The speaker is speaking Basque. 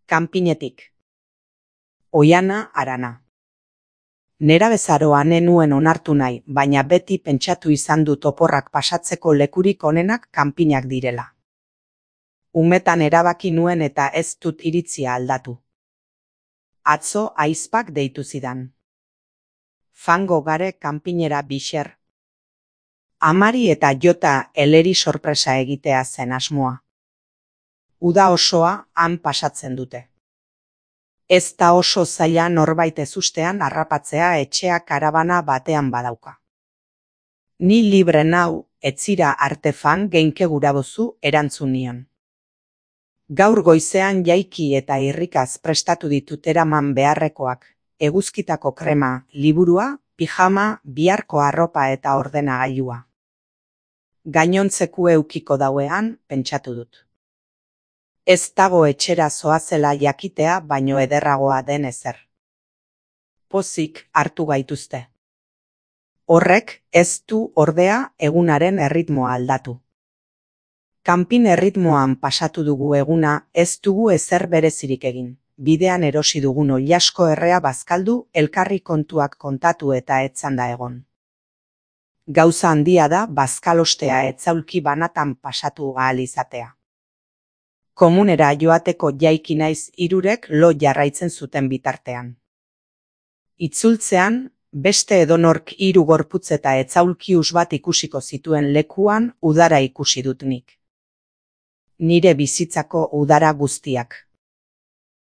Kanpinetik. Oiana Arana. Nerabezaroa nenuen onartu nahi, baina beti pentsatu izan dut oporrak pasatzeko lekurik onenak kanpinak direla. Umetan erabaki nuen eta ez dut iritzia aldatu. Atzo ahizpak deitu zidan. Fango gare kanpinera bixer. Amari eta jota eleri sorpresa egitea zen asmoa. Uda osoa han pasatzen dute. Ez da oso zaila norbait ezustean harrapatzea etxea karabana batean badauka. Ni libre nau, etzira artefan geinke gurabozu erantzun nion. Gaur goizean jaiki eta irrikaz prestatu ditut eraman beharrekoak, eguzkitako krema, liburua, pijama, biharko arropa eta ordenagailua. Gainontzeku eukiko dauean, pentsatu dut. Ez dago etxera zoazela jakitea baino ederragoa den ezer. Pozik hartu gaituzte. Horrek ez du ordea egunaren erritmoa aldatu. Kanpin erritmoan pasatu dugu eguna ez dugu ezer berezirik egin. Bidean erosi dugun oilasko errea bazkaldu elkarri kontuak kontatu eta etzanda egon. Gauza handia da bazkalostea etzaulki banatan pasatu ahal izatea. Komunera joateko jaiki naiz hirurek lo jarraitzen zuten bitartean. Itzultzean, beste edonork hiru gorputz eta etzaulkius bat ikusiko zituen lekuan udara ikusi dut nik. Nire bizitzako udara guztiak.